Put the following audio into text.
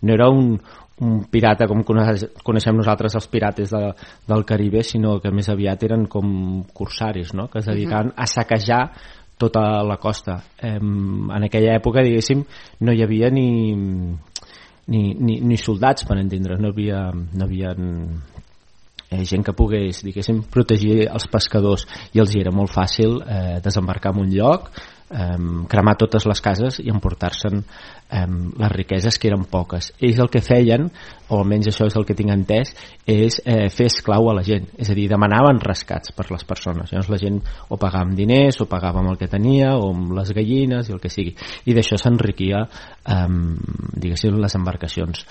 no era un pirata com coneixem nosaltres els pirates del Caribe, sinó que més aviat eren com corsaris, no? Que es dedicaven a saquejar tota la costa. En aquella època, diguéssim, no hi havia ni soldats, per entendre, no havia gent que pogués, diguéssim, protegir els pescadors, i els era molt fàcil desembarcar en un lloc, cremar totes les cases i emportar-se'n les riqueses, que eren poques. Ells el que feien, o almenys això és el que tinc entès, és fer esclau a la gent, és a dir, demanaven rescats per les persones. Llavors la gent o pagava amb diners, o pagava amb el que tenia, o amb les gallines i el que sigui, i d'això s'enriquia diguéssim les embarcacions